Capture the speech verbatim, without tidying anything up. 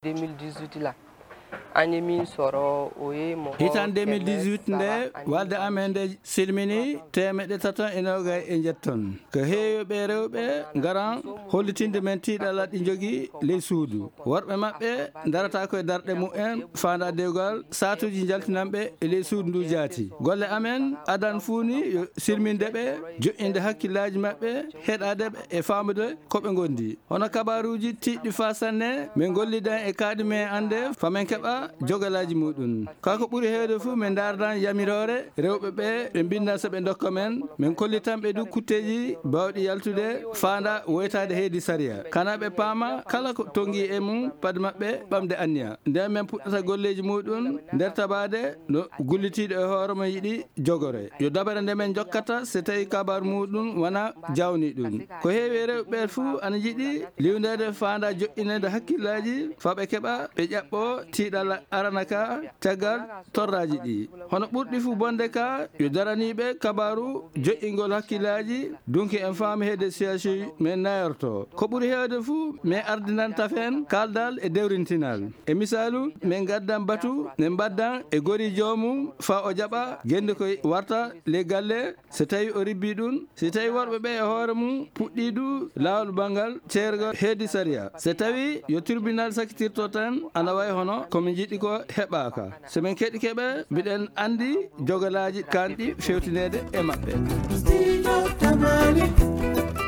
deux mille dix-huit la, anye min soro oye mo. Hitan deux mille dix-huit nde, walde amen nde silmini teemeɗɗe taton e noogay e njetton. Ko heewi ɓe rewɓe ngaran hollitinde men tiiɗalla ɗi njogii ley suudu. Worɓe maɓɓe darata ko e darɗe mumen, faanda dewgal, saatuuji njaltinanɓe e ley suudu ndu jaati. Golle amen adan fuu ni yo silminde ɓe, joƴƴinde hakkillaaji maɓɓe, heɗaade ɓe e faamude ko ɓe ngondi. Hono kabaaruuji tiiɗɗi faa sanne, min ngollidan e kaaɗi men annde, faa men keɓa jogalaaji muuɗum. Kaa ko ɓuri heewde fuu, min ndaardan yamiroore rewɓe ɓe, ɓe mbinndan so ɓe ndokka men, min kollitan ɓe du kutteeji baawɗi yaltude faanda woytaade heedi sariya. Kana ɓe paama kala ko tonngi e mum, pad maɓɓe ɓamde anniya. Nden min puɗɗata golleeji muuɗum nder tabaade no gullitiiɗo e hoore mum yiɗi jogore. Yo dabare nde min njokkata so tawi kabaaru muuɗum wona jawniiɗum. Ko heewi e rewɓe ɓe fuu ana njiɗi liwndeede faanda joƴƴineede hakkillaaji faa ɓe keɓa ɓe ƴaɓɓoo tiiɗalla arana ka caggal torraaji ɗi. Hono ɓurɗi fuu bonde ka yo daraniiɓe kabaaru joƴƴingol hakkillaaji, dunki en faami heede C H U men nayorto. Ko ɓuri heewde fuu, min ardinan tafen kaaldal e dewrintinal. E misaalu, min ngaddan batu, min mbaddan e gori joomum faa o jaɓa gennde ko warta ley galle, so tawi o ribbii ɗum, so tawi worɓe ɓe e hoore mum puɗɗii du laawol banngal ceergal heedi sariya. So tawi yo tribunal sakitirto tan, ana wayi hono ko min njiɗi ko heɓaaka. So min keɗike ɓe, mbiɗen anndi jogalaaji kanɗi fewtineede e maɓɓe. Studio Tamale.